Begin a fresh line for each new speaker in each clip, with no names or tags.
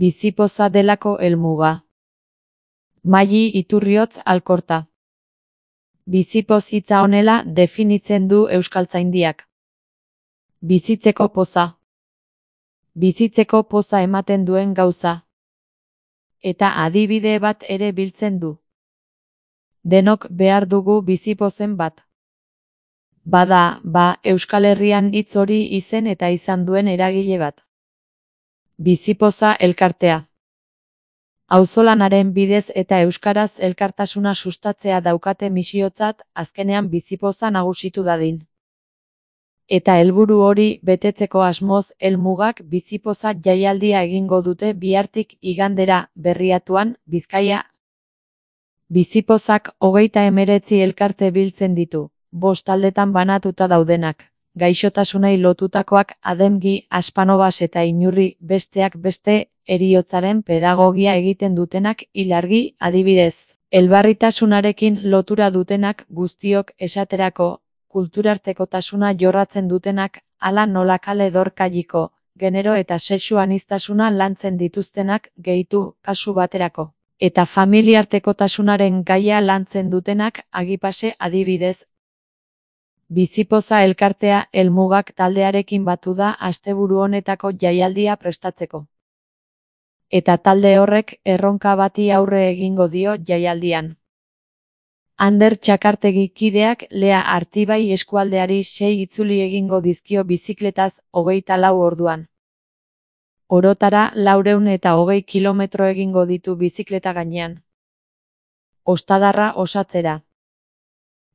Bizipoza delako helmuga. Maili Iturriotz Alkorta. Bizipoz hitza honela definitzen du Euskaltzaindiak. Bizitzeko poza. Bizitzeko poza ematen duen gauza. Eta adibide bat ere biltzen du. Denok behar dugu bizipozen bat. Bada, Euskal Herrian hitz hori izen eta izan duen eragile bat. Bizipoza elkartea. Auzolanaren bidez eta euskaraz elkartasuna sustatzea daukate misiotzat, azkenean bizipoza nagusitu dadin. Eta helburu hori betetzeko asmoz, helmugak bizipoza jaialdia egingo dute bihartik igandera Berriatuan, Bizkaia. Bizipozak 39 elkarte biltzen ditu, 5 taldetan banatuta daudenak. Gaixotasunei lotutakoak Ademgi, Aspanobas eta Inurri, besteak beste, heriotzaren pedagogia egiten dutenak Ilargi, adibidez. Elbarritasunarekin lotura dutenak guztiok esaterako, kulturartekotasuna jorratzen dutenak, hala nola kale dorkailiko, genero eta sexu aniztasuna lantzen dituztenak gehitu kasu baterako. Eta familiartekotasunaren gaia lantzen dutenak Agipase adibidez. Bizipoza elkartea helmugak taldearekin batu da asteburu honetako jaialdia prestatzeko. Eta talde horrek erronka bati aurre egingo dio jaialdian. Ander Txakartegi kideak Lea Artibai eskualdeari 6 itzuli egingo dizkio bizikletaz 24 orduan. Orotara 420 kilometro egingo ditu bizikleta gainean. Ostadarra osatzera.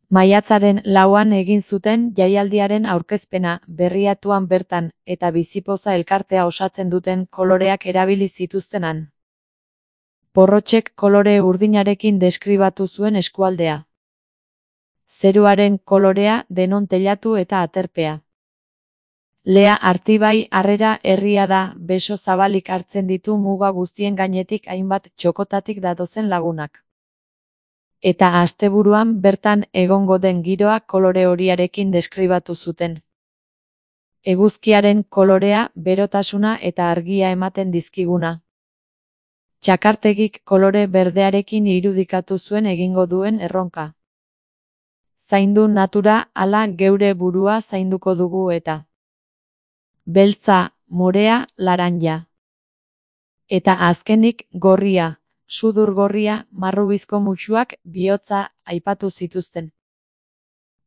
Maiatzaren 4an egin zuten jaialdiaren aurkezpena Berriatuan bertan eta bizipoza elkartea osatzen duten koloreak erabili zituztenan. Porrotxek kolore urdinarekin deskribatu zuen eskualdea. Zeruaren kolorea denon teilatu eta aterpea. Lea Artibai harrera herria da, beso zabalik hartzen ditu muga guztien gainetik hainbat txokotatik datozen lagunak. Eta asteburuan bertan egongo den giroa kolore horiarekin deskribatu zuten. Eguzkiaren kolorea, berotasuna eta argia ematen dizkiguna. Txakartegik kolore berdearekin irudikatu zuen egingo duen erronka. Zaindu natura, hala geure burua zainduko dugu eta. Beltza, morea, laranja. Eta azkenik gorria. Sudur gorria, marrubizko musuak, bihotza, aipatu zituzten.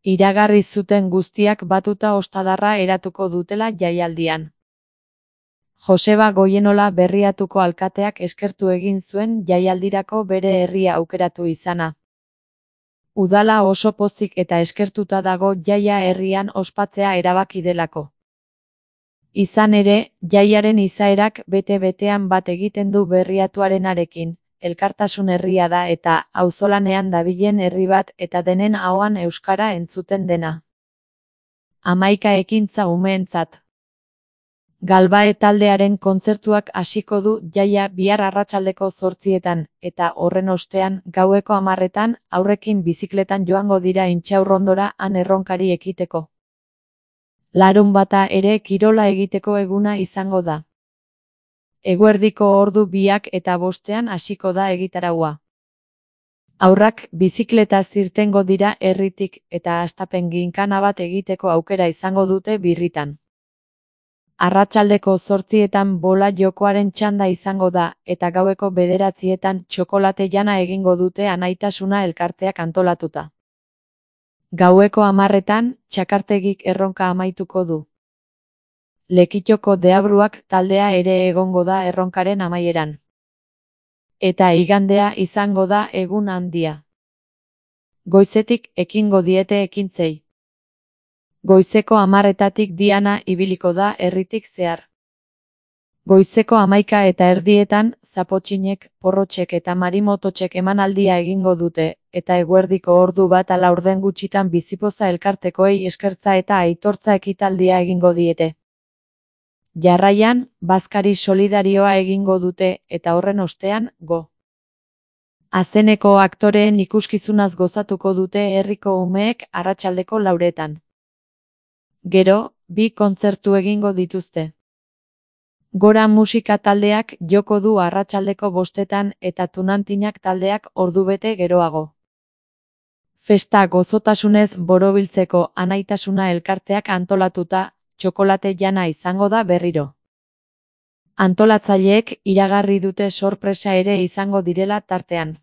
Iragarri zuten guztiak batuta ostadarra eratuko dutela jaialdian. Joseba Goienola Berriatuko alkateak eskertu egin zuen jaialdirako bere herria aukeratu izana. Udala oso pozik eta eskertuta dago jaia herrian ospatzea erabaki delako. Izan ere, jaiaren izaerak bete-betean bat egiten du Berriatuarenarekin. Elkartasun herria da eta auzolanean dabilen herri bat eta denen ahoan euskara entzuten dena. 11 ekintza umeentzat. Galbae taldearen kontzertuak hasiko du jaia bihar arratsaldeko 8etan eta horren ostean gaueko 10etan haurrekin bizikletan joango dira Intxaurrondora han erronkari ekiteko. Larunbata ere kirola egiteko eguna izango da. Eguerdiko ordu 2 eta 5ean hasiko da egitaraua. Haurrak bizikleta irtengo dira herritik eta hastapen ginkana bat egiteko aukera izango dute birritan. Arratsaldeko 8etan bola jokoaren txanda izango da eta gaueko 9etan txokolate jana egingo dute Anaitasuna elkarteak antolatuta. Gaueko 10etan Txakartegik erronka amaituko du. Lekitoko deabruak taldea ere egongo da erronkaren amaieran. Eta igandea izango da egun handia. Goizetik ekingo diete ekintzei. Goizeko 10etatik diana ibiliko da herritik zehar. Goizeko 11:30 zapotxinek, porrotxek eta marimototxek emanaldia egingo dute, eta eguerdiko ordu 1:10 gutxitan bizipoza elkartekoei eskertza eta aitortza ekitaldia egingo diete. Jarraian, bazkari solidarioa egingo dute, eta horren ostean, go. Azeneko aktoreen ikuskizunaz gozatuko dute herriko umeek arratsaldeko 4etan. Gero, 2 kontzertu egingo dituzte. Gora musika taldeak joko du arratsaldeko 5etan eta Tunantinak taldeak ordubete geroago. Festa gozotasunez borobiltzeko Anaitasuna elkarteak antolatuta, txokolate jana izango da berriro. Antolatzaileek iragarri dute sorpresa ere izango direla tartean.